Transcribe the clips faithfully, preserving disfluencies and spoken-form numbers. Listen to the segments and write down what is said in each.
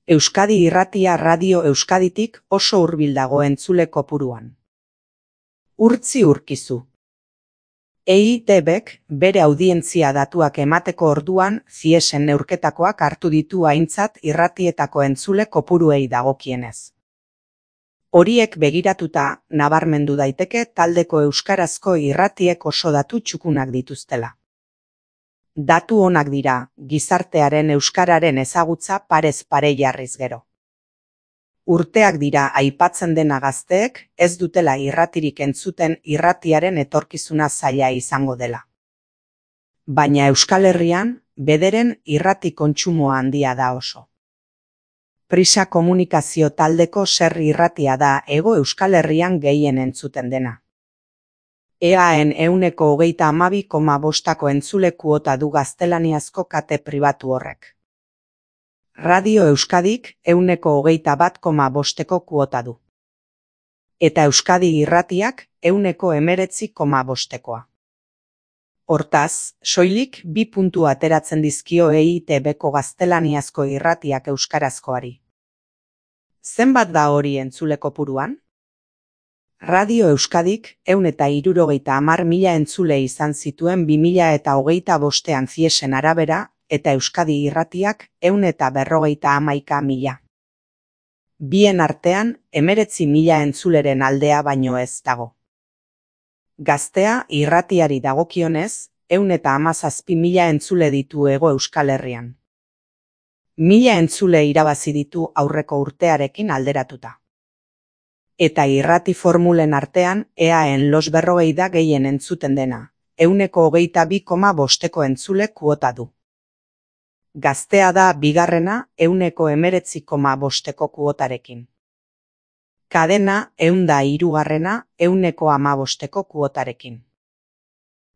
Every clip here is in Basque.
Euskadi Irratia Radio Euskaditik oso hurbil dago entzule kopuruan. Urtzi urkizu. E I T Bk bere audientzia datuak emateko orduan ziesen neurketakoak hartu ditu aintzat irratietako entzule kopuruei dagokienez. Horiek begiratuta, nabarmendu daiteke taldeko euskarazko irratiek oso datu txukunak dituztela. Datu onak dira, gizartearen euskararen ezagutza parez pare jarriz gero. Urteak dira aipatzen dena gazteek ez dutela irratirik entzuten irratiaren etorkizuna zaila izango dela. Baina Euskal Herrian, bederen irrati kontsumoa handia da oso. Prisa komunikazio taldeko serri irratia da Hego Euskal Herrian gehien entzuten dena. Eaen ehuneko hogeita hamabi koma bostako entzule kuota du gaztelaniazko kate pribatu horrek. Radio Euskadik ehuneko hogeita bat koma bosteko kuota du. Eta Euskadi Irratiak ehuneko hemeretzi koma bostekoa. Hortaz, soilik bi puntu ateratzen dizkio E I T Bko gaztelaniazko irratiak euskarazkoari. Zenbat da hori entzule kopuruan? Radio Euskadik ehun eta hirurogeita hamar mila entzule izan zituen bi mila eta hogeita bostean ziesen arabera, eta Euskadi Irratiak ehun eta berrogeita hamaika mila. Bien artean, hemeretzi mila entzuleren aldea baino ez dago. Gaztea irratiari dagokionez, ehun eta hamazazpi mila entzule ditu Hego Euskal Herrian. Mila entzule irabazi ditu aurreko urtearekin alderatuta. Eta irrati formulen artean eaen los berrogei da gehien entzuten dena, ehuneko hogeita bi koma bosteko entzule kuota du. Gaztea da bigarrena ehuneko hemeretzi koma bosteko kuotarekin. Kadena ehun da hirugarrena ehuneko hamabosteko kuotarekin.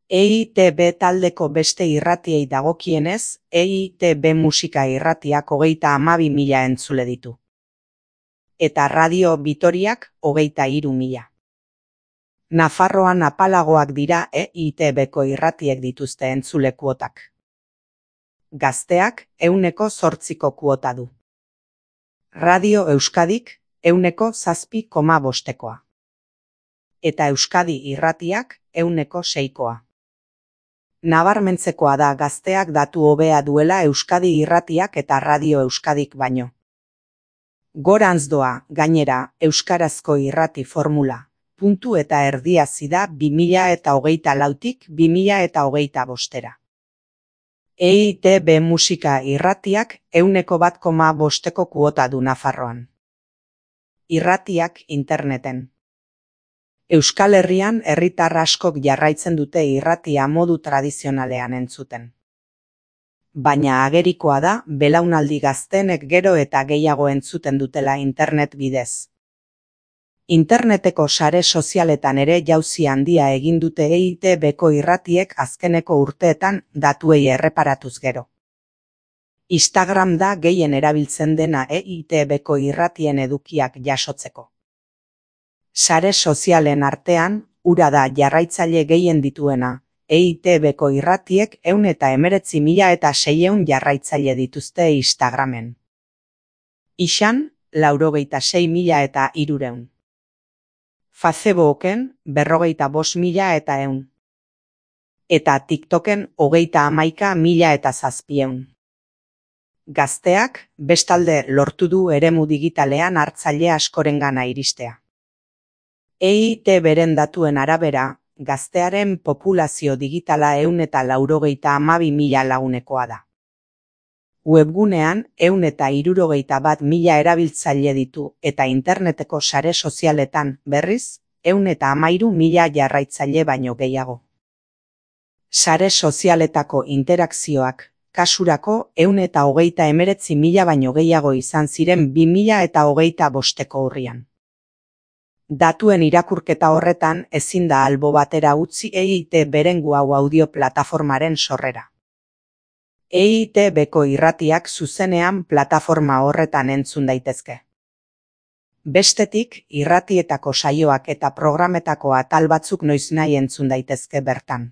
E I T B taldeko beste irratiei dagokienez, E I T B musika irratiak hogeita hamabi mila entzule ditu. Eta Radio Vitoriak hogeita hiru mila. Nafarroan apalagoak dira E I T Bko irratiek dituzte entzule kuotak. Gazteak ehuneko zortziko kuota du. Radio Euskadik ehuneko zazpi koma bostekoa. Eta Euskadi Irratiak ehuneko seikoa. Nabarmentzekoa da gazteak datu hobea duela Euskadi Irratiak eta Radio Euskadik baino. Gorantz doa, gainera, euskarazko irrati formula, puntu eta erdia zida bi mila eta hogeita lautik bi mila eta hogeita bostera. E I T B musika irratiak ehuneko bat koma bosteko kuota du Nafarroan. Irratiak interneten. Euskal Herrian herritar askok jarraitzen dute irratia modu tradizionalean entzuten. Baina agerikoa da belaunaldi gaztenek gero eta gehiago entzuten dutela internet bidez. Interneteko sare sozialetan ere jauzi handia egin dute E I T Bko irratiek azkeneko urteetan datuei erreparatuz gero. Instagram da gehien erabiltzen dena E I T Bko irratien edukiak jasotzeko. Sare sozialen artean, hura da jarraitzaile gehien dituena, E I T Bko irratiek ehun eta hemeretzi mila eta seiehun jarraitzaile dituzte Instagramen. Ixan, laurogeita sei mila eta hirurehun. Facebooken, berrogeita bost mila eta ehun. Eta TikToken hogeita hamaika mila eta zazpieun. Gazteak, bestalde lortu du eremu digitalean hartzaile askorengana iristea. E I T Bren datuen arabera, gaztearen populazio digitala ehun eta laurogeita hamabi mila lagunekoa da. Webgunean ehun eta hirurogeita bat mila erabiltzaile ditu eta interneteko sare sozialetan berriz ehun eta hamairu mila jarraitzaile baino gehiago. Sare sozialetako interakzioak kasurako ehun eta hogeita hemeretzi mila baino gehiago izan ziren bi mila eta hogeita bosteko urrian. Datuen irakurketa horretan ezin da albo batera utzi E I T Bren hau audio plataformaren sorrera. E I T Bko irratiak zuzenean plataforma horretan entzun daitezke. Bestetik, irratietako saioak eta programetako atal batzuk noiznahi entzun daitezke bertan.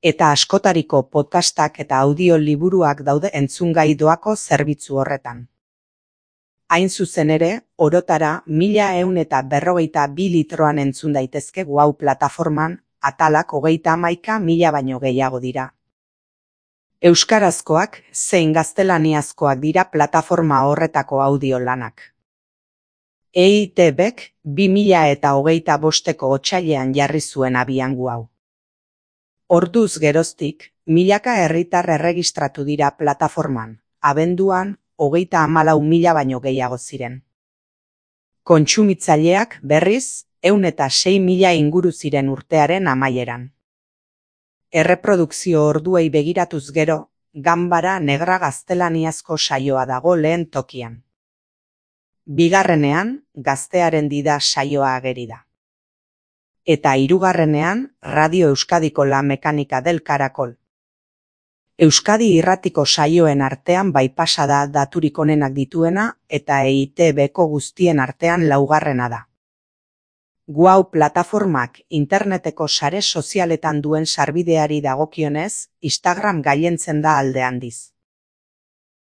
Eta askotariko podcastak eta audio liburuak daude entzungai doako zerbitzu horretan. Hain zuzen ere, orotara mila ehun eta berrogeita bi litroan entzun daitezke Wow plataforman, atalak hogeita hamaika mila baino gehiago dira. Euskarazkoak zein gaztelaniazkoak dira plataforma horretako audio lanak. E I T Bek bi mila eta hogeita bosteko otsailean jarri zuen abian Wow. Orduz geroztik, milaka herritar erregistratu dira plataforman, abenduan, hogeita hamalau mila baino gehiago ziren. Kontsumitzaileak berriz, ehun eta sei mila inguru ziren urtearen amaieran. Erreprodukzio orduei begiratuz gero, Ganbara Negra gaztelaniazko saioa dago lehen tokian. Bigarrenean, Gaztearen Dida saioa ageri da. Eta hirugarrenean, Radio Euskadiko La Mekanika del Caracol. Euskadi irratiko saioen artean bypassa da daturik onenak dituena eta E I T Beko guztien artean laugarrena da. Wow plataformak interneteko sare sozialetan duen sarbideari dagokionez, Instagram gailentzen da alde handiz.